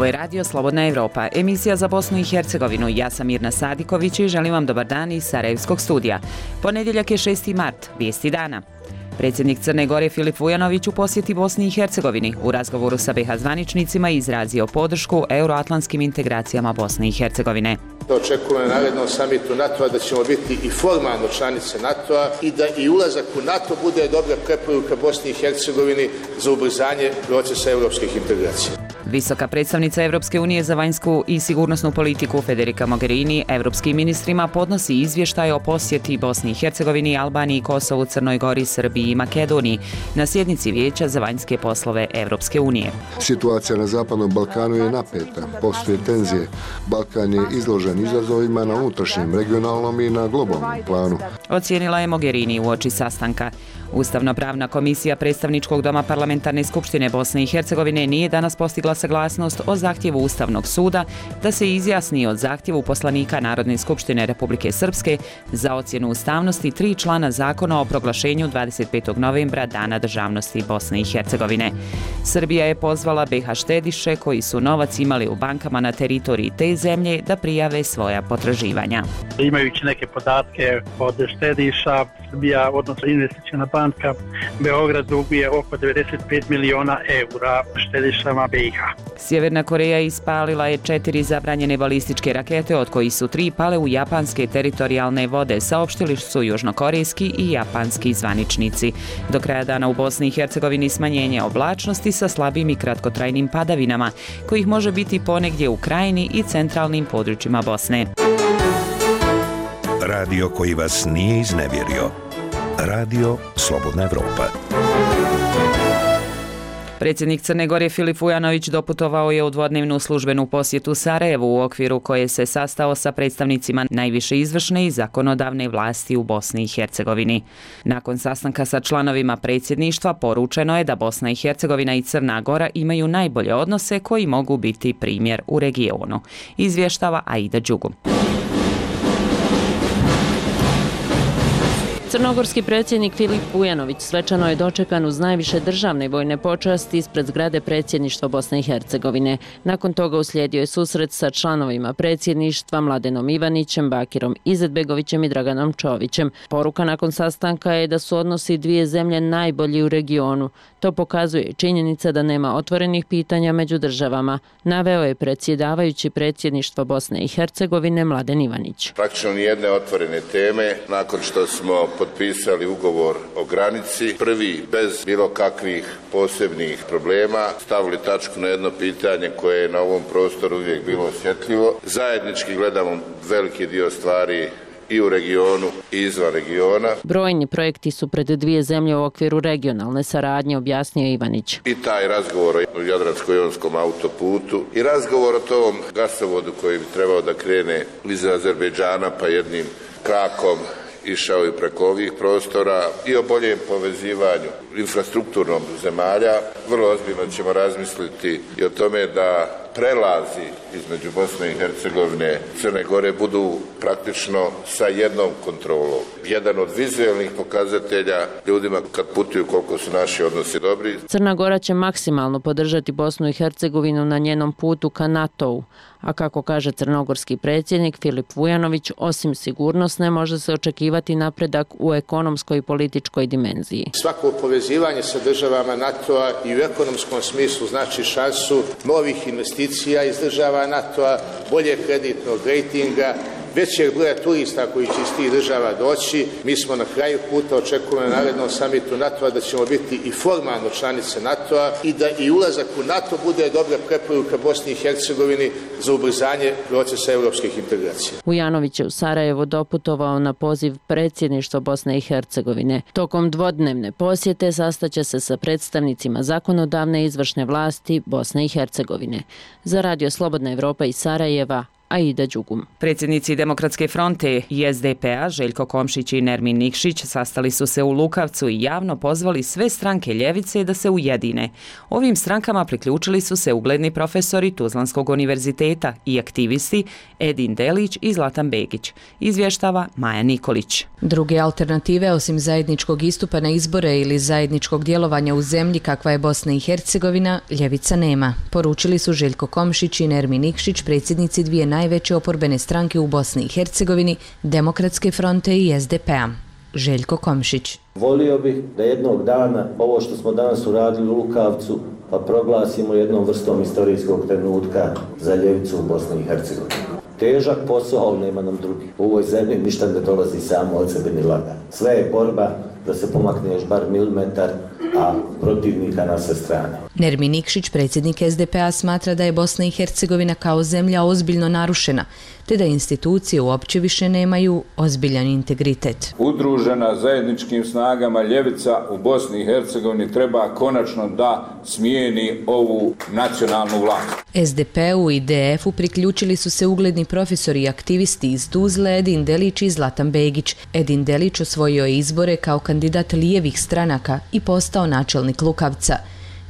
Ovo je Radio Slobodna Evropa, emisija za Bosnu i Hercegovinu. Ja sam Mirna Sadiković i želim vam dobar dan iz Sarajevskog studija. Ponedjeljak je 6. mart, vijesti dana. Predsjednik Crne Gore Filip Vujanović u posjeti Bosni i Hercegovini u razgovoru sa BiH zvaničnicima izrazio podršku euroatlantskim integracijama Bosne i Hercegovine. Očekujemo na narednom samitu NATO-a da ćemo biti i formalno članice NATO-a i da i ulazak u NATO bude dobra preporuka Bosni i Hercegovini za ubrzanje procesa europskih integracija. Visoka predstavnica Evropske unije za vanjsku i sigurnosnu politiku Federica Mogherini evropskim ministrima podnosi izvještaj o posjeti Bosni i Hercegovini, Albaniji, Kosovu, Crnoj Gori, Srbiji i Makedoniji na sjednici Vijeća za vanjske poslove Evropske unije. Situacija na Zapadnom Balkanu je napeta, postoje tenzije. Balkan je izložen izazovima na unutrašnjem, regionalnom i na globalnom planu. Ocijenila je Mogherini uoči sastanka. Ustavno-pravna komisija predstavničkog doma Parlamentarne skupštine Bosne i Hercegovine nije danas postigla saglasnost o zahtjevu Ustavnog suda da se izjasni o zahtjevu poslanika Narodne skupštine Republike Srpske za ocjenu ustavnosti 3 člana zakona o proglašenju 25. novembra Dana državnosti Bosne i Hercegovine. Srbija je pozvala BiH štediše koji su novac imali u bankama na teritoriji te zemlje da prijave svoja potraživanja. Imajući neke podatke od štediša, Srbija, odnosno investiciona banka Beograd duguje oko 95 miliona eura štedišama BiH. Sjeverna Koreja ispalila je 4 zabranjene balističke rakete, od kojih su 3 pale u japanske teritorijalne vode, saopštili su južnokorejski i japanski zvaničnici. Do kraja dana u Bosni i Hercegovini smanjenje oblačnosti sa slabim i kratkotrajnim padavinama, kojih može biti ponegdje u krajini i centralnim područjima Bosne. Radio koji vas nije iznevjerio. Radio Slobodna Evropa. Predsjednik Crne Gore Filip Vujanović doputovao je u dvodnevnu službenu posjetu Sarajevu u okviru koje se sastao sa predstavnicima najviše izvršne i zakonodavne vlasti u Bosni i Hercegovini. Nakon sastanka sa članovima predsjedništva poručeno je da Bosna i Hercegovina i Crna Gora imaju najbolje odnose koji mogu biti primjer u regionu. Izvještava Aida Đugu. Crnogorski predsjednik Filip Vujanović svečano je dočekan uz najviše državne vojne počasti ispred zgrade predsjedništva Bosne i Hercegovine. Nakon toga uslijedio je susret sa članovima predsjedništva Mladenom Ivanićem, Bakirom Izetbegovićem i Draganom Čovićem. Poruka nakon sastanka je da su odnosi dvije zemlje najbolji u regionu. To pokazuje i činjenica da nema otvorenih pitanja među državama, naveo je predsjedavajući predsjedništva Bosne i Hercegovine Mladen Ivanić. Praktično nijedne otvorene teme nakon što smo potpisali ugovor o granici, prvi bez bilo kakvih posebnih problema, stavili tačku na jedno pitanje koje je na ovom prostoru uvijek bilo osjetljivo. Zajednički gledamo veliki dio stvari i u regionu i izvan regiona. Brojni projekti su pred dvije zemlje u okviru regionalne saradnje, objasnio Ivanić. I taj razgovor o Jadransko-jonskom autoputu i razgovor o tom gasovodu koji bi trebao da krene iz Azerbejdžana pa jednim krakom išao i preko ovih prostora i o boljem povezivanju infrastrukturnom zemalja. Vrlo ozbiljno ćemo razmisliti i o tome da prelazi između Bosne i Hercegovine i Crne Gore budu praktično sa jednom kontrolom. Jedan od vizualnih pokazatelja ljudima kad putuju koliko su naši odnosi dobri. Crna Gora će maksimalno podržati Bosnu i Hercegovinu na njenom putu ka NATO-u, a kako kaže crnogorski predsjednik Filip Vujanović, osim sigurnosne može se očekivati napredak u ekonomskoj i političkoj dimenziji. Svako povezivanje sa državama NATO-a i u ekonomskom smislu znači šansu novih investicija iz država NATO-a, bolje kreditnog rejtinga, većeg broja turista koji će iz tih država doći. Mi smo na kraju puta, očekujemo na narednom samitu NATO-a da ćemo biti i formalno članice NATO-a i da i ulazak u NATO bude dobra preporuka Bosni i Hercegovini za ubrzanje procesa europskih integracija. Vujanović je u Sarajevo doputovao na poziv predsjedništva Bosne i Hercegovine. Tokom dvodnevne posjete sastaće se sa predstavnicima zakonodavne i izvršne vlasti Bosne i Hercegovine. Za Radio Slobodna Evropa iz Sarajeva, Aida Đugum. Predsjednici Demokratske fronte i SDP-a Željko Komšić i Nermin Nikšić sastali su se u Lukavcu i javno pozvali sve stranke ljevice da se ujedine. Ovim strankama priključili su se ugledni profesori Tuzlanskog univerziteta i aktivisti Edin Delić i Zlatan Begić, izvještava Maja Nikolić. Druge alternative osim zajedničkog istupa na izbore ili zajedničkog djelovanja u zemlji kakva je Bosna i Hercegovina, ljevica nema, poručili su Željko Komšić i Nermin Nikšić, predsjednici dvije najveće oporbene stranke u Bosni i Hercegovini, Demokratske fronte i SDP-a. Željko Komšić. Volio bih da jednog dana ovo što smo danas uradili u Lukavcu pa proglasimo jednom vrstom istorijskog trenutka za ljevicu u Bosni i Hercegovini. Težak posao, ali nema nam drugi. U ovoj zemlji ništa ne dolazi samo od sebe ni laga. Sve je borba da se pomakne još bar milimetar, a protivnika na sve strane. Nermin Nikšić, predsjednik SDP-a, smatra da je Bosna i Hercegovina kao zemlja ozbiljno narušena, te da institucije uopće više nemaju ozbiljan integritet. Udružena zajedničkim snagama ljevica u Bosni i Hercegovini treba konačno da smijeni ovu nacionalnu vlast. SDP-u i DF-u priključili su se ugledni profesori i aktivisti iz Tuzle Edin Delić i Zlatan Begić. Edin Delić osvojio je izbore kao kandidat lijevih stranaka i postao načelnik Lukavca.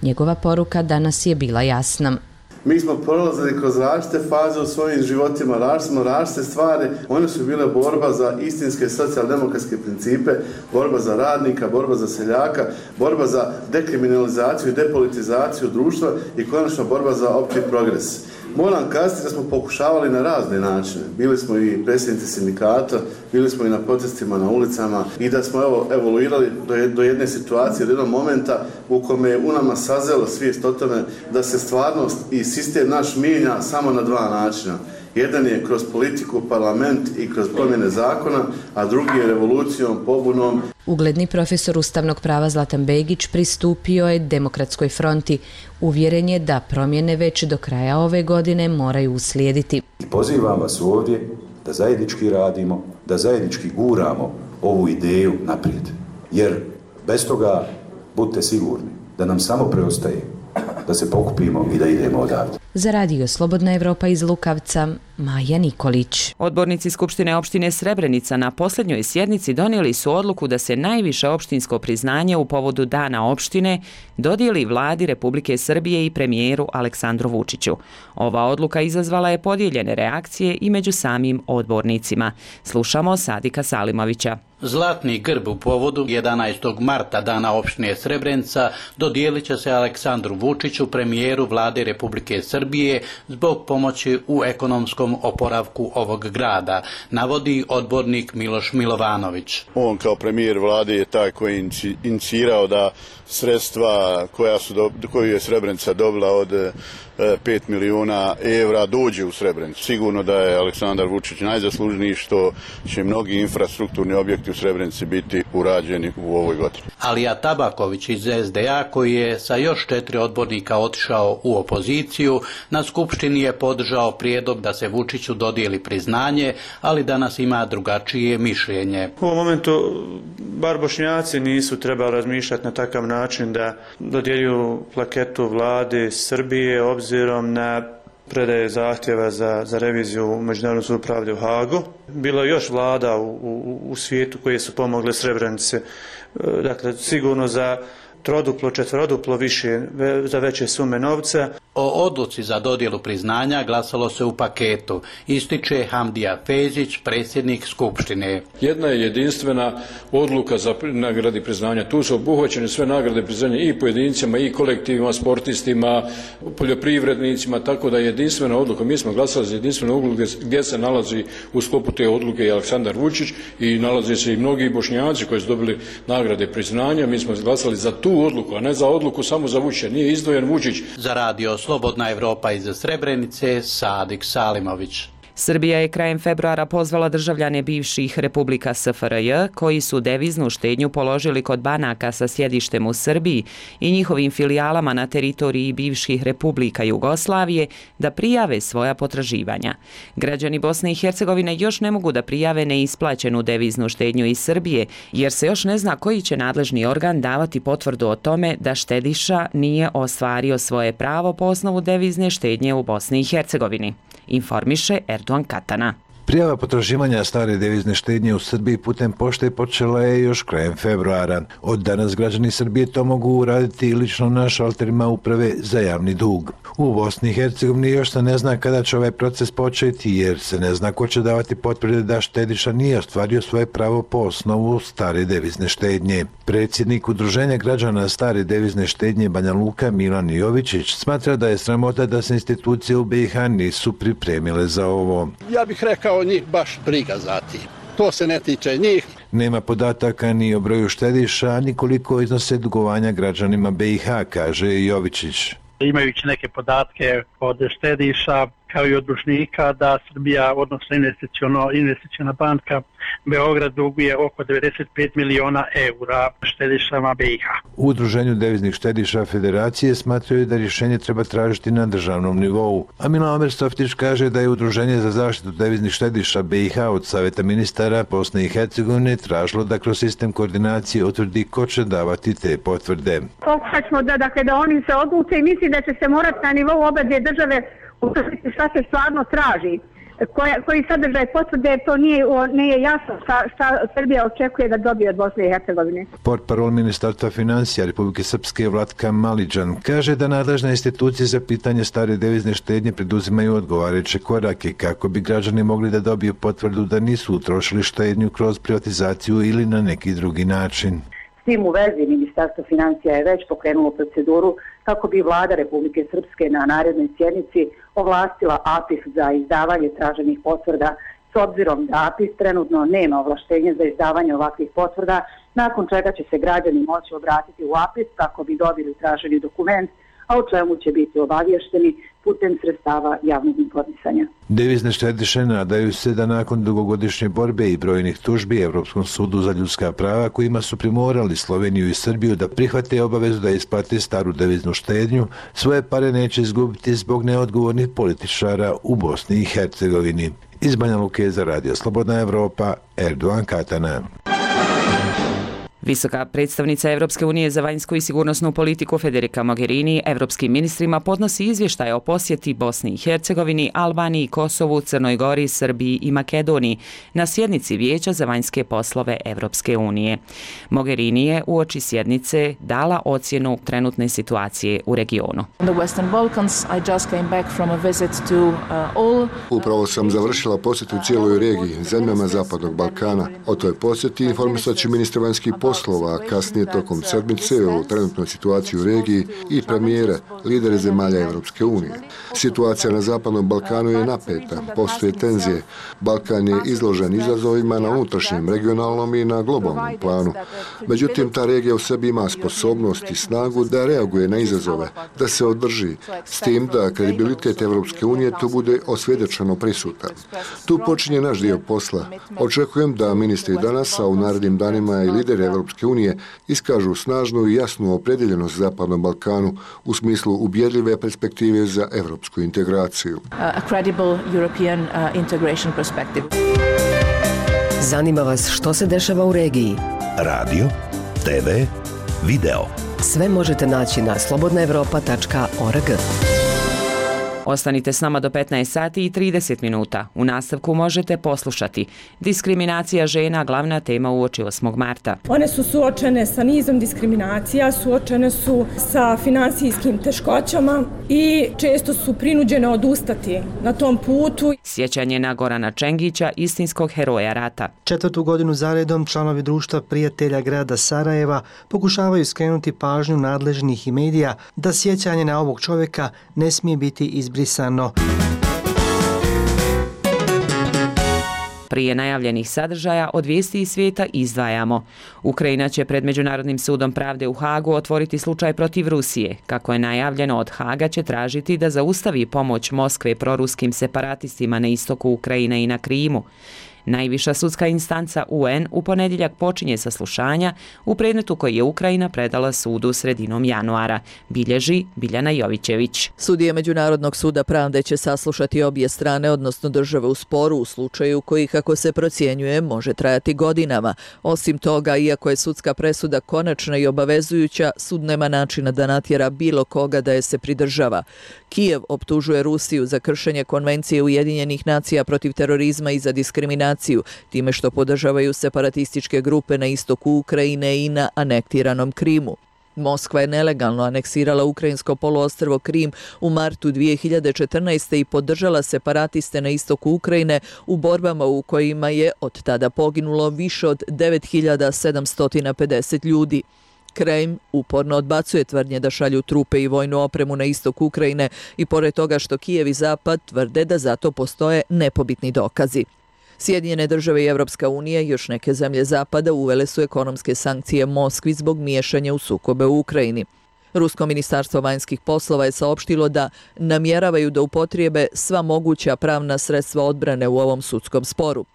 Njegova poruka danas je bila jasna. Mi smo prolazili kroz različite faze u svojim životima, različite stvari. One su bile borba za istinske socijaldemokratske principe, borba za radnika, borba za seljaka, borba za dekriminalizaciju i depolitizaciju društva i konačno borba za opći progres. Moram kazati da smo pokušavali na razne načine. Bili smo i predsjednici sindikata, bili smo i na protestima na ulicama i da smo evoluirali do jedne situacije, do jednog momenta u kome je u nama sazela svijest o tome da se stvarnost i sistem naš mijenja samo na dva načina. Jedan je kroz politiku, parlament i kroz promjene zakona, a drugi je revolucijom, pobunom. Ugledni profesor ustavnog prava Zlatan Begić pristupio je Demokratskoj fronti. Uvjeren je da promjene već do kraja ove godine moraju uslijediti. Pozivam vas ovdje da zajednički radimo, da zajednički guramo ovu ideju naprijed. Jer bez toga budite sigurni da nam samo preostaje da se pokupimo i da idemo odavde. Za radio Slobodna Evropa iz Lukavca, Maja Nikolić. Odbornici Skupštine opštine Srebrenica na posljednjoj sjednici donijeli su odluku da se najviše opštinsko priznanje u povodu Dana opštine dodijeli vladi Republike Srbije i premijeru Aleksandru Vučiću. Ova odluka izazvala je podijeljene reakcije i među samim odbornicima. Slušamo Sadika Salimovića. Zlatni grb u povodu 11. marta Dana opštine Srebrenica dodijelit će se Aleksandru Vučiću, premijeru vlade Republike Srbije, zbog pomoći u ekonomskom oporavku ovog grada, navodi odbornik Miloš Milovanović. On kao premijer vlade je taj koji je inicirao da sredstva koju je Srebrenica dobila od 5 milijuna evra dođe u Srebrenicu. Sigurno da je Aleksandar Vučić najzaslužniji što će mnogi infrastrukturni objekti u Srebrenici biti urađeni u ovoj godini. Alija Tabaković iz SDA, koji je sa još 4 odbornika otišao u opoziciju, na Skupštini je podržao prijedlog da se Vučiću dodijeli priznanje, ali danas ima drugačije mišljenje. U ovom momentu bar Bošnjaci nisu trebali razmišljati na takav način da dodjeljuju plaketu vlade Srbije obzirom na predaje zahtjeva za reviziju u Međunarodnom sudu pravde u Hagu. Bilo je još vlada u svijetu koje su pomogle Srebrenici, dakle sigurno za troduplo, četveroduplo više, za veće sume novca. O odluci za dodjelu priznanja glasalo se u paketu, ističe Hamdija Fezić, predsjednik Skupštine. Jedna je jedinstvena odluka za nagradi priznanja. Tu su obuhvaćene sve nagrade priznanja i pojedincima, i kolektivima, sportistima, poljoprivrednicima, tako da je jedinstvena odluka. Mi smo glasali za jedinstvenu odluku gdje se nalazi u sklopu te odluke i Aleksandar Vučić i nalaze se i mnogi Bošnjaci koji su dobili nagrade priznanja. Mi smo glasali za tu odluku, a ne za odluku samo za Vučića. Nije izdvojen Vučić. Za radio Slobodna Evropa iz Srebrenice, Sadik Salimović. Srbija je krajem februara pozvala državljane bivših republika SFRJ koji su deviznu štednju položili kod banaka sa sjedištem u Srbiji i njihovim filijalama na teritoriji bivših republika Jugoslavije da prijave svoja potraživanja. Građani Bosne i Hercegovine još ne mogu da prijave neisplaćenu deviznu štednju iz Srbije jer se još ne zna koji će nadležni organ davati potvrdu o tome da štediša nije ostvario svoje pravo po osnovu devizne štednje u Bosni i Hercegovini. informiše Erdogan Katana. Prijava potraživanja stare devizne štednje u Srbiji putem pošte počela je još krajem februara. Od danas građani Srbije to mogu uraditi i lično na šalterima uprave za javni dug. U Bosni i Hercegovini još se ne zna kada će ovaj proces početi jer se ne zna ko će davati potvrde da štediša nije ostvario svoje pravo po osnovu stare devizne štednje. Predsjednik Udruženja građana stare devizne štednje Banja Luka Milan Jovičić smatra da je sramota da se institucije u BiH nisu pripremile za ovo. Ja bih rekao njih baš briga za tim. To se ne tiče njih. Nema podataka ni o broju štediša, ni koliko iznose dugovanja građanima BiH, kaže Jovičić. Imajući neke podatke od štediša kao i od dužnika da Srbija, odnosno investiciona banka Beograd duguje oko 95 miliona eura štedišama BiH. U Udruženju deviznih štediša Federacije smatraju da rješenje treba tražiti na državnom nivou. A Milan Softić kaže da je Udruženje za zaštitu deviznih štediša BiH od Saveta ministara Bosne i Hercegovine tražilo da kroz sistem koordinacije utvrdi ko će davati te potvrde. Pokušat ćemo da oni se odluče i mislim da će se morati na nivou obe države utvrditi šta se stvarno traži, koji sadržaj potvrde, to nije jasno šta Srbija očekuje da dobije od Bosne i Hercegovine. Portparol Ministarstva financija Republike Srpske Vlatka Maliđan kaže da nadležne institucije za pitanje stare devizne štednje preduzimaju odgovarajuće korake kako bi građani mogli da dobiju potvrdu da nisu utrošili štednju kroz privatizaciju ili na neki drugi način. S tim u vezi Ministarstvo financija je već pokrenulo proceduru kako bi Vlada Republike Srpske na narednoj sjednici ovlastila APIS za izdavanje traženih potvrda, s obzirom da APIS trenutno nema ovlaštenje za izdavanje ovakvih potvrda, nakon čega će se građani moći obratiti u APIS kako bi dobili traženi dokument, a o čemu će biti obavješteni putem sredstava javnog informisanja. Devizne štediše nadaju se da nakon dugogodišnje borbe i brojnih tužbi Europskom sudu za ljudska prava kojima su primorali Sloveniju i Srbiju da prihvate obavezu da isplate staru deviznu štednju, svoje pare neće izgubiti zbog neodgovornih političara u Bosni i Hercegovini. Iz Banja Luke za Radio Slobodna Evropa, Erdogan Katana. Visoka predstavnica Evropske unije za vanjsku i sigurnosnu politiku Federica Mogherini evropskim ministrima podnosi izvještaj o posjeti Bosni i Hercegovini, Albaniji, Kosovu, Crnoj Gori, Srbiji i Makedoniji na sjednici Vijeća za vanjske poslove Evropske unije. Mogherini je uoči sjednice dala ocjenu trenutne situacije u regionu. Upravo sam završila posjet u cijeloj regiji, zemljama Zapadnog Balkana. O toj posjeti informisat će ministar vanjskih poslova, kasnije tokom sedmice o trenutnoj situaciji u regiji i premijere, lidere zemalja Evropske unije. Situacija na Zapadnom Balkanu je napeta, postoje tenzije. Balkan je izložen izazovima na unutrašnjem, regionalnom i na globalnom planu. Međutim, ta regija u sebi ima sposobnost i snagu da reaguje na izazove, da se održi, s tim da kredibilitet Evropske unije tu bude osvjedočeno prisutan. Tu počinje naš dio posla. Očekujem da ministri danas, a u narednim danima i lideri Evropske unije iskažu snažnu i jasnu opredjeljenost Zapadnom Balkanu u smislu ubjedljive perspektive za evropsku integraciju. Zanima vas što se dešava u regiji? Radio, TV, video. Sve možete naći na slobodnaevropa.org. Ostanite s nama do 15 sati i 30 minuta. U nastavku možete poslušati diskriminacija žena, glavna tema uoči 8. marta. One su suočene sa nizom diskriminacija, suočene su sa finansijskim teškoćama i često su prinuđene odustati na tom putu. Sjećanje na Gorana Čengića, istinskog heroja rata. 4. godinu zaredom članovi društva prijatelja grada Sarajeva pokušavaju skrenuti pažnju nadležnih i medija da sjećanje na ovog čovjeka ne smije biti izbrisano. Prije najavljenih sadržaja od vijesti iz svijeta izdvajamo. Ukrajina će pred Međunarodnim sudom pravde u Hagu otvoriti slučaj protiv Rusije. Kako je najavljeno, od Haga će tražiti da zaustavi pomoć Moskve proruskim separatistima na istoku Ukrajine i na Krimu. Najviša sudska instanca UN u ponedjeljak počinje saslušanja u predmetu koji je Ukrajina predala sudu sredinom januara, bilježi Biljana Jovićević. Sudije Međunarodnog suda pravde će saslušati obje strane, odnosno države u sporu u slučaju koji, kako se procjenjuje, može trajati godinama. Osim toga, iako je sudska presuda konačna i obavezujuća, sud nema načina da natjera bilo koga da je se pridržava. Kijev optužuje Rusiju za kršenje Konvencije Ujedinjenih nacija protiv terorizma i za diskriminaciju, time što podržavaju separatističke grupe na istoku Ukrajine i na anektiranom Krimu. Moskva je nelegalno aneksirala ukrajinsko poluostrvo Krim u martu 2014. i podržala separatiste na istoku Ukrajine u borbama u kojima je od tada poginulo više od 9750 ljudi. Kreml uporno odbacuje tvrdnje da šalju trupe i vojnu opremu na istok Ukrajine i pored toga što Kijev i Zapad tvrde da zato postoje nepobitni dokazi. Sjedinjene države i Evropska unija i još neke zemlje Zapada uvele su ekonomske sankcije Moskvi zbog miješanja u sukobe u Ukrajini. Rusko ministarstvo vanjskih poslova je saopštilo da namjeravaju da upotrijebe sva moguća pravna sredstva odbrane u ovom sudskom sporu.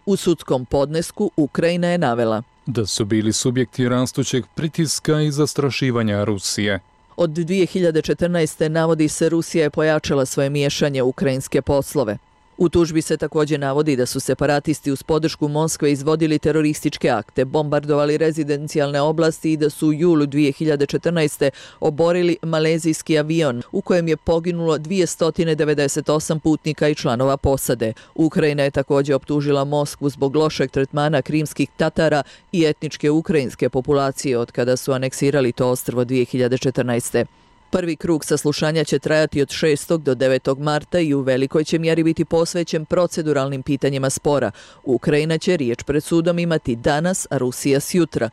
U sudskom podnesku Ukrajina je navela da su bili subjekti rastućeg pritiska i zastrašivanja Rusije. Od 2014. navodi se Rusija je pojačala svoje miješanje u ukrajinske poslove. U tužbi se također navodi da su separatisti uz podršku Moskve izvodili terorističke akte, bombardovali rezidencijalne oblasti i da su u julu 2014. oborili malezijski avion u kojem je poginulo 298 putnika i članova posade. Ukrajina je također optužila Moskvu zbog lošeg tretmana krimskih Tatara i etničke ukrajinske populacije od kada su aneksirali to ostrvo 2014. Prvi krug saslušanja će trajati od 6. do 9. marta i u velikoj će mjeri biti posvećen proceduralnim pitanjima spora. Ukrajina će riječ pred sudom imati danas, a Rusija sjutra.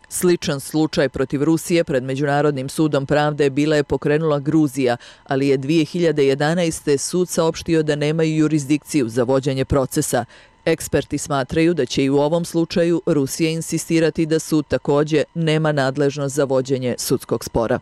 Sličan slučaj protiv Rusije pred Međunarodnim sudom pravde bila je pokrenula Gruzija, ali je 2011. sud saopštio da nemaju jurisdikciju za vođenje procesa. Eksperti smatraju da će i u ovom slučaju Rusija insistirati da sud također nema nadležnost za vođenje sudskog spora.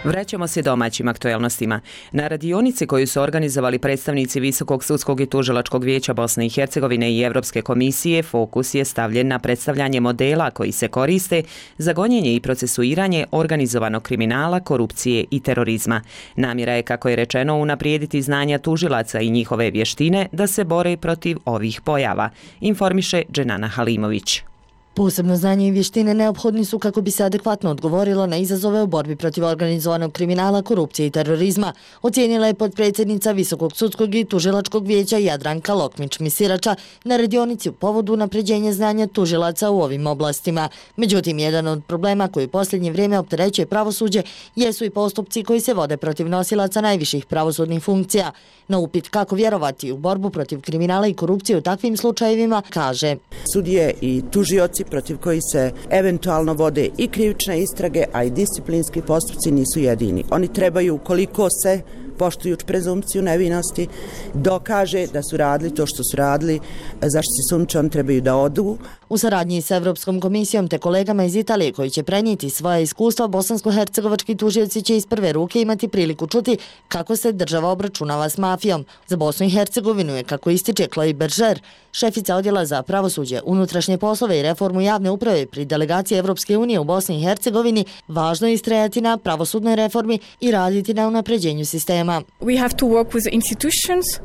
Vraćamo se domaćim aktuelnostima. Na radionici koju su organizovali predstavnici Visokog sudskog i tužilačkog vijeća Bosne i Hercegovine i Evropske komisije, fokus je stavljen na predstavljanje modela koji se koriste za gonjenje i procesuiranje organizovanog kriminala, korupcije i terorizma. Namjera je, kako je rečeno, unaprijediti znanja tužilaca i njihove vještine da se bore protiv ovih pojava, informiše Dženana Halimović. Posebno znanje i vještine neophodni su kako bi se adekvatno odgovorilo na izazove u borbi protiv organizovanog kriminala, korupcije i terorizma, ocijenila je potpredsjednica Visokog sudskog i tužilačkog vijeća Jadranka Lokmić-Misirača na radionici u povodu unapređenja znanja tužilaca u ovim oblastima. Međutim, jedan od problema koji u posljednje vrijeme opterećuje pravosuđe jesu i postupci koji se vode protiv nosilaca najviših pravosudnih funkcija. Na upit kako vjerovati u borbu protiv kriminala i korupcije u takvim slučajevima, kaže: Sudije i tužioci protiv koji se eventualno vode i krivične istrage, a i disciplinski postupci nisu jedini. Oni trebaju, ukoliko se poštujući prezumpciju nevinosti, dokaže da su radili to što su radili, zašto se sumnjiče, oni trebaju da odu. U saradnji s Evropskom komisijom te kolegama iz Italije koji će prenijeti svoje iskustva, bosansko-hercegovački tužioci će iz prve ruke imati priliku čuti kako se država obračunava s mafijom. Za Bosnu i Hercegovinu je, kako ističe Chloe Berger, šefica odjela za pravosuđe, unutrašnje poslove i reformu javne uprave pri delegaciji Evropske unije u Bosni i Hercegovini, važno je istrajati na pravosudnoj reformi i raditi na unapređenju sistema.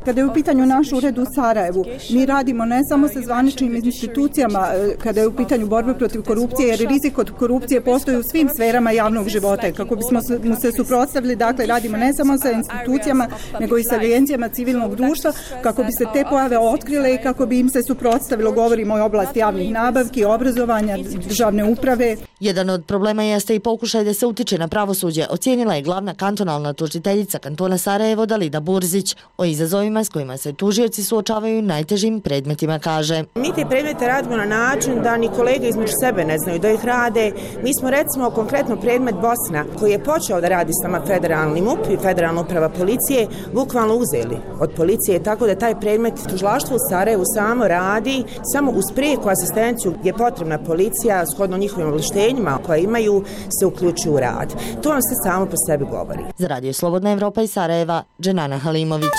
Kada je u pitanju naš ured u Sarajevu, mi radimo ne samo sa zvaničnim institucijama kada je u pitanju borbe protiv korupcije, jer rizik od korupcije postoji u svim sferama javnog života. Kako bismo mu se suprotstavili, dakle, radimo ne samo sa institucijama, nego i sa agencijama civilnog društva, kako bi se te pojave otkrile i kako bi im se suprotstavilo. Govorimo o oblasti javnih nabavki, obrazovanja, državne uprave. Jedan od problema jeste i pokušaj da se utiče na pravosuđe, ocijenila je glavna kantonalna tužiteljica kantona Sarajevo Dalida Burzić. O izazovima s kojima se tužioci suočavaju najtežim predmetima kaže: Mi te predmete radimo na način da ni kolege između sebe ne znaju da ih rade. Mi smo recimo konkretno predmet Bosna, koji je počeo da radi s nama federalni MUP i federalna uprava policije, bukvalno uzeli od policije, tako da taj predmet tužilaštvo u Sarajevu samo radi, samo uz prijeku asistenciju gdje je potrebna policija, shodno njihovim ovlaštenjima koje imaju, se uključuju u rad. To vam se samo po sebi govori. Za Radio Slobodna Evropa iz Sarajeva, Dženana Halimović.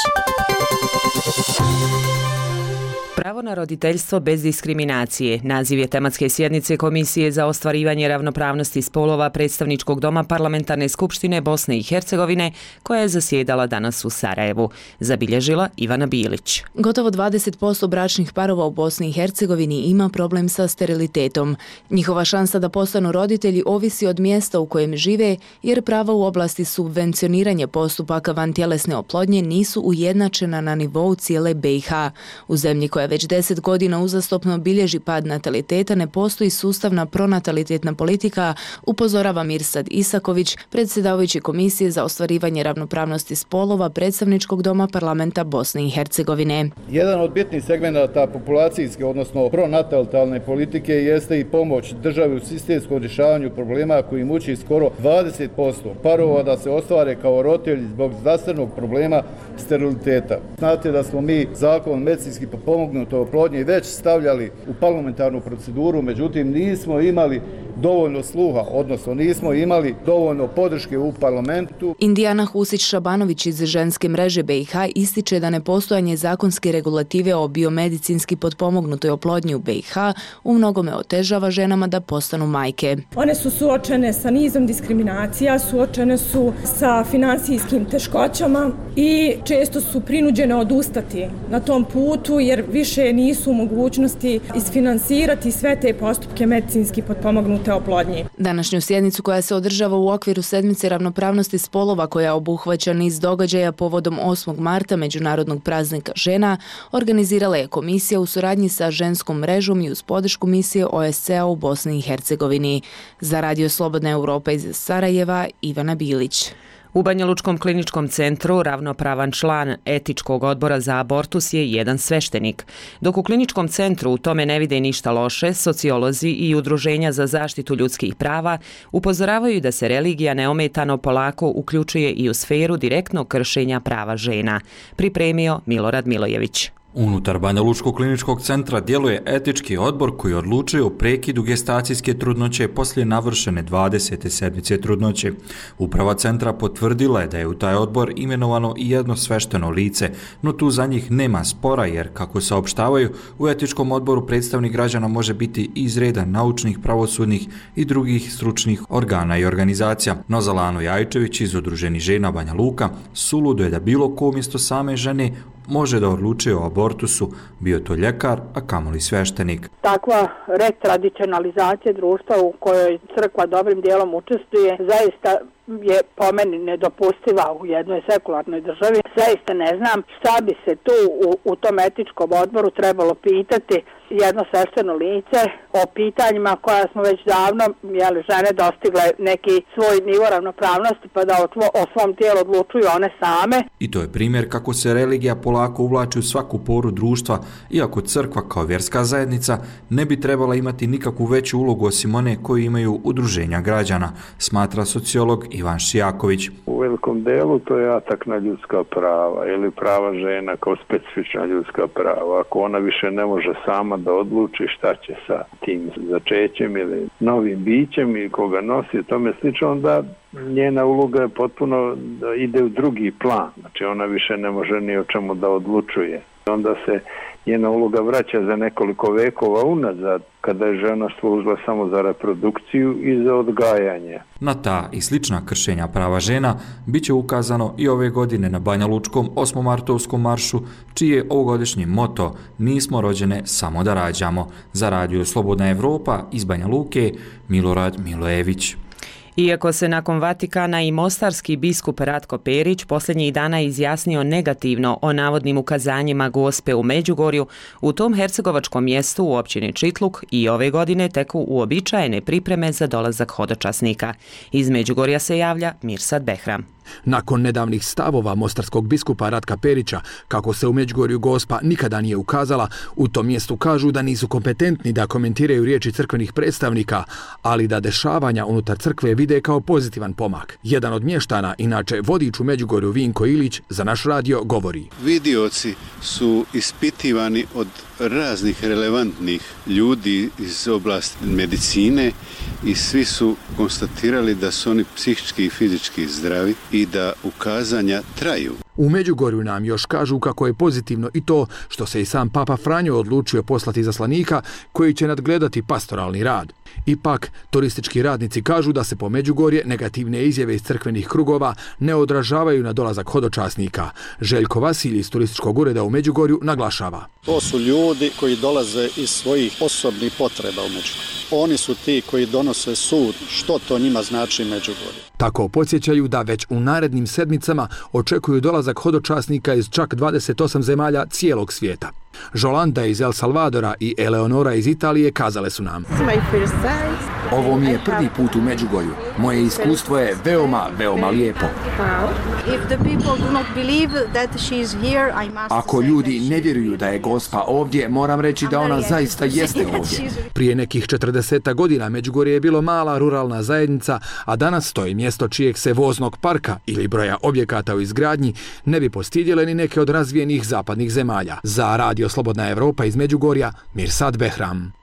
Pravo na roditeljstvo bez diskriminacije naziv je tematske sjednice Komisije za ostvarivanje ravnopravnosti spolova Predstavničkog doma Parlamentarne skupštine Bosne i Hercegovine, koja je zasjedala danas u Sarajevu, zabilježila Ivana Bilić. Gotovo 20% bračnih parova u Bosni i Hercegovini ima problem sa sterilitetom. Njihova šansa da postanu roditelji ovisi od mjesta u kojem žive, jer prava u oblasti subvencioniranja postupaka vantjelesne oplodnje nisu ujednačena na nivou cijele BiH. U zemlji koja već 10 godina uzastopno bilježi pad nataliteta ne postoji sustavna pronatalitetna politika, upozorava Mirsad Isaković, predsjedavajući Komisije za ostvarivanje ravnopravnosti spolova Predstavničkog doma parlamenta Bosne i Hercegovine. Jedan od bitnih segmenata populacijske, odnosno pronatalitalne politike jeste i pomoć državi u sistemskom rješavanju problema koji muči skoro 20% parova da se ostvare kao roditelji zbog zdravstvenog problema steriliteta. Znate da smo mi zakon medicinski potpomognutoj oplodnji već stavljali u parlamentarnu proceduru, međutim nismo imali dovoljno sluha, odnosno nismo imali dovoljno podrške u parlamentu. Indijana Husić-Šabanović iz ženske mreže BiH ističe da nepostojanje zakonske regulative o biomedicinski potpomognutoj oplodnji u BiH u mnogome otežava ženama da postanu majke. One su suočene sa nizom diskriminacija, suočene su sa finansijskim teškoćama i često su prinuđene odustati na tom putu jer više nisu u mogućnosti isfinansirati sve te postupke medicinski potpomognute oplodnje. Današnju sjednicu koja se održava u okviru sedmice ravnopravnosti spolova koja obuhvaća niz događaja povodom 8. marta Međunarodnog praznika žena, organizirala je komisija u suradnji sa ženskom mrežom i uz podršku misije OSCE-a u Bosni i Hercegovini. Za Radio Slobodna Europa iz Sarajeva, Ivana Bilić. U Banjalučkom kliničkom centru ravnopravan član etičkog odbora za abortus je jedan sveštenik. Dok u kliničkom centru u tome ne vide ništa loše, sociolozi i udruženja za zaštitu ljudskih prava upozoravaju da se religija neometano polako uključuje i u sferu direktnog kršenja prava žena. Pripremio Milorad Milojević. Unutar Banjalučkog kliničkog centra djeluje etički odbor koji odlučuje o prekidu gestacijske trudnoće poslije navršene 20. sedmice trudnoće. Uprava centra potvrdila je da je u taj odbor imenovano i jedno svešteno lice, no tu za njih nema spora jer, kako saopštavaju, u etičkom odboru predstavnik građana može biti iz reda naučnih, pravosudnih i drugih stručnih organa i organizacija. No Zalano Jajčević iz Udruženih žena Banja Luka suludo je da bilo ko umjesto same žene može da odlučuje o abortusu, bio to ljekar, a kamoli sveštenik. Takva retradicionalizacija društva u kojoj crkva dobrim dijelom učestvuje zaista je po meni nedopustiva u jednoj sekularnoj državi. Zaista ne znam šta bi se tu u tom etičkom odboru trebalo pitati jedno svešteno lice o pitanjima koja smo već davno žene dostigle neki svoj nivo ravnopravnosti pa da o svom tijelu odlučuju one same. I to je primjer kako se religija polako uvlači u svaku poru društva, iako crkva kao vjerska zajednica ne bi trebala imati nikakvu veću ulogu osim one koju imaju udruženja građana, smatra sociolog Ivan Šijaković. U velikom delu to je atak na ljudska prava ili prava žena kao specifična ljudska prava. Ako ona više ne može sama da odluči šta će sa tim začećem ili novim bićem i koga nosi i tome slično, onda njena uloga je potpuno ide u drugi plan. Znači ona više ne može ni o čemu da odlučuje. Onda se njena uloga vraća za nekoliko vekova unazad, kada je žena služila samo za reprodukciju i za odgajanje. Na ta i slična kršenja prava žena bit će ukazano i ove godine na Banjalučkom 8-martovskom maršu, čiji je ovogodišnji moto "Nismo rođene samo da rađamo". Za Radio Slobodna Evropa iz Banja Luke, Milorad Milojević. Iako se nakon Vatikana i mostarski biskup Ratko Perić posljednjih dana izjasnio negativno o navodnim ukazanjima Gospe u Međugorju, u tom hercegovačkom mjestu u općini Čitluk i ove godine teku uobičajene pripreme za dolazak hodočasnika. Iz Međugorja se javlja Mirsad Behram. Nakon nedavnih stavova mostarskog biskupa Ratka Perića, kako se u Međugorju Gospa nikada nije ukazala, u tom mjestu kažu da nisu kompetentni da komentiraju riječi crkvenih predstavnika, ali da dešavanja unutar crkve vide kao pozitivan pomak. Jedan od mještana, inače vodič u Međugorju Vinko Ilić, za naš radio govori. Vidioci su ispitivani od raznih relevantnih ljudi iz oblasti medicine i svi su konstatirali da su oni psihički i fizički zdravi i da ukazanja traju. U Međugorju nam još kažu kako je pozitivno i to što se i sam Papa Franjo odlučio poslati izaslanika koji će nadgledati pastoralni rad. Ipak, turistički radnici kažu da se po Međugorje negativne izjave iz crkvenih krugova ne odražavaju na dolazak hodočasnika. Željko Vasilj iz turističkog ureda u Međugorju naglašava. To su ljudi koji dolaze iz svojih osobnih potreba u Međugorju. Oni su ti koji donose sud što to njima znači Međugorje. Tako podsjećaju da već u narednim sedmicama očekuju dolazak hodočasnika iz čak 28 zemalja cijelog svijeta. Žolanda iz El Salvadora i Eleonora iz Italije kazale su nam: ovo mi je prvi put u Međugorju. Moje iskustvo je veoma lijepo. Ako ljudi ne vjeruju da je Gospa ovdje, moram reći da ona zaista jeste ovdje. Prije nekih 40 godina Međugorje je bilo mala ruralna zajednica, a danas to je mjesto čijeg se voznog parka ili broja objekata u izgradnji ne bi postidjele ni neke od razvijenih zapadnih zemalja. Za Radio Slobodna Evropa iz Međugorja, Mirsad Behram.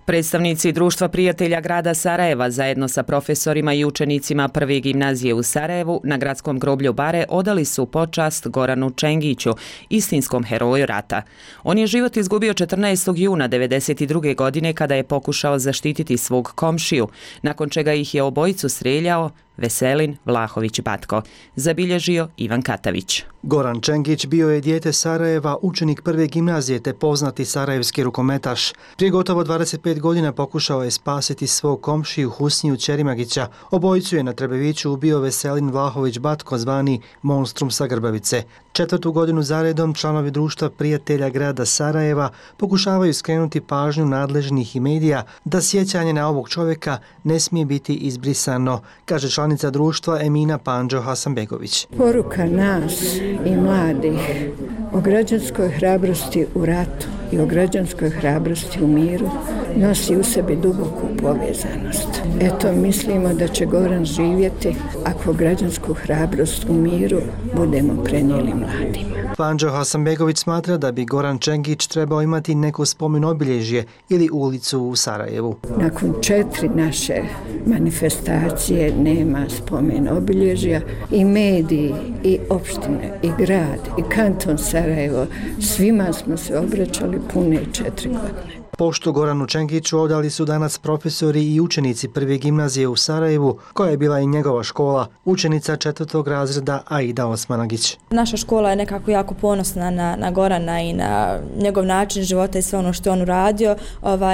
Predstavnici Društva prijatelja grada Sarajeva zajedno sa profesorima i učenicima Prve gimnazije u Sarajevu na gradskom groblju Bare odali su počast Goranu Čengiću, istinskom heroju rata. On je život izgubio 14. juna 1992. godine kada je pokušao zaštititi svog komšiju, nakon čega ih je obojicu streljao Veselin Vlahović Batko, zabilježio Ivan Katavić. Goran Čengić bio je dijete Sarajeva, učenik Prve gimnazije te poznati sarajevski rukometaš. Prije gotovo 25 godina pokušao je spasiti svog komšiju Husniju Ćerimagića. Obojicu je na Trebeviću ubio Veselin Vlahović Batko, zvani Monstrum sa Grbavice. 4. godinu zaredom članovi Društva prijatelja grada Sarajeva pokušavaju skrenuti pažnju nadležnih i medija da sjećanje na ovog čovjeka ne smije biti izbrisano, kaže članica društva Emina Pandžo Hasanbegović. Poruka nas i mladih o građanskoj hrabrosti u ratu i o građanskoj hrabrosti u miru nosi u sebi duboku povezanost. Eto, mislimo da će Goran živjeti ako građansku hrabrost u miru budemo prenijeli mladima. Pandžo Hasanbegović smatra da bi Goran Čengić trebao imati neko spomen obilježje ili ulicu u Sarajevu. Nakon 4 naše manifestacije nema spomen obilježja i mediji, i opštine, i grad, i kanton Sarajevo, svima smo se obraćali pune 4 godine. Poštu Goranu Čengiću odali su danas profesori i učenici Prve gimnazije u Sarajevu, koja je bila i njegova škola, učenica 4. razreda Aida Osmanagić. Naša škola je nekako jako ponosna na Gorana i na njegov način života i sve ono što je on uradio.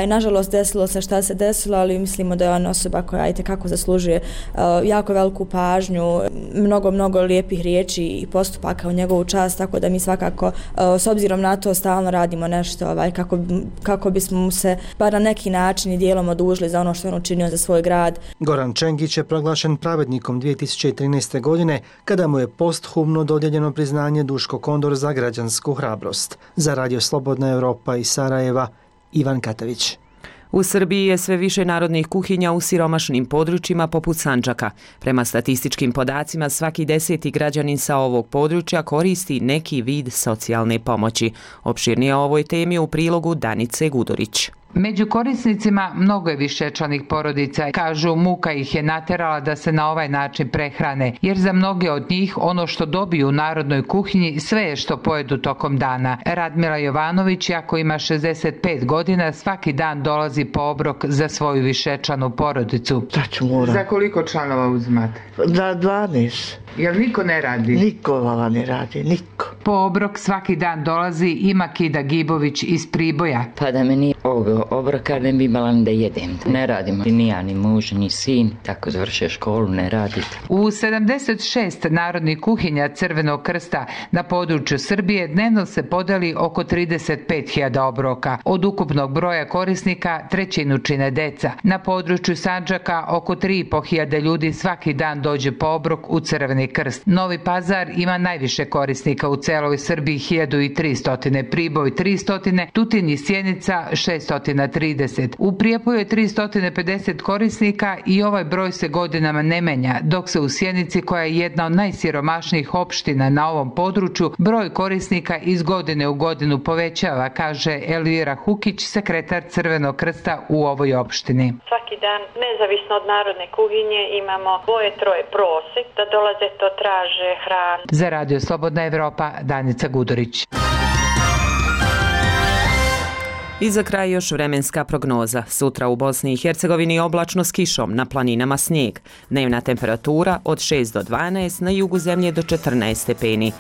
Nažalost, desilo se šta se desilo, ali mislimo da je on osoba koja itekako zaslužuje jako veliku pažnju, mnogo lijepih riječi i postupaka u njegovu čast, tako da mi svakako, s obzirom na to, stalno radimo nešto kako bismo mu se bar na neki način i dijelom odužili za ono što je on učinio za svoj grad. Goran Čengić je proglašen pravednikom 2013. godine kada mu je posthumno dodijeljeno priznanje Duško Kondor za građansku hrabrost. Za Radio Slobodna Evropa iz Sarajeva, Ivan Katavić. U Srbiji je sve više narodnih kuhinja u siromašnim područjima poput Sandžaka. Prema statističkim podacima, svaki 10. građanin sa ovog područja koristi neki vid socijalne pomoći. Opširnije o ovoj temi u prilogu Danice Gudorić. Među korisnicima mnogo je višečlanih porodica. Kažu, muka ih je naterala da se na ovaj način prehrane, jer za mnoge od njih ono što dobiju u narodnoj kuhinji sve je što pojedu tokom dana. Radmila Jovanović, ako ima 65 godina, svaki dan dolazi po obrok za svoju višečlanu porodicu. Za koliko članova uzimate? Za 12. Jel niko ne radi? Niko ne radi, niko. Po obrok svaki dan dolazi i Makida Gibović iz Priboja. Pa da me nije ovog obroka ne bi imala ni da jedem. Ne radimo ni ja, ni muž, ni sin, tako završe školu, ne radite. U 76 narodnih kuhinja Crvenog krsta na području Srbije dnevno se podeli oko 35.000 obroka. Od ukupnog broja korisnika trećinu čine deca. Na području Sandžaka oko 3.500 ljudi svaki dan dođe po obrok u Crveni krst. Novi Pazar ima najviše korisnika u celoj Srbiji, 1300, Priboj 300, Tutin i Sjenica 600 230. U Prijepoju je 350 korisnika i ovaj broj se godinama ne menja, dok se u Sjenici, koja je jedna od najsiromašnijih opština na ovom području, broj korisnika iz godine u godinu povećava, kaže Elvira Hukić, sekretar Crvenog krsta u ovoj opštini. Svaki dan, nezavisno od narodne kuhinje, imamo 2-3 prosek da dolaze to traže hranu. Za Radio Slobodna Evropa, Danica Gudurić. I za kraj još vremenska prognoza. Sutra u Bosni i Hercegovini oblačno s kišom, na planinama snijeg. Dnevna temperatura od 6 do 12, na jugu zemlje do 14 stepeni.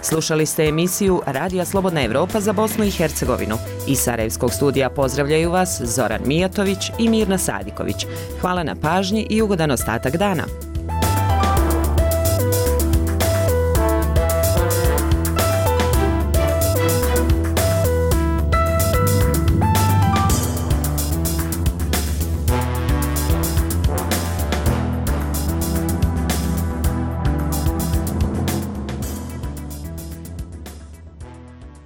Slušali ste emisiju Radija Slobodna Evropa za Bosnu i Hercegovinu. Iz Sarajevskog studija pozdravljaju vas Zoran Mijatović i Mirna Sadiković. Hvala na pažnji i ugodan ostatak dana.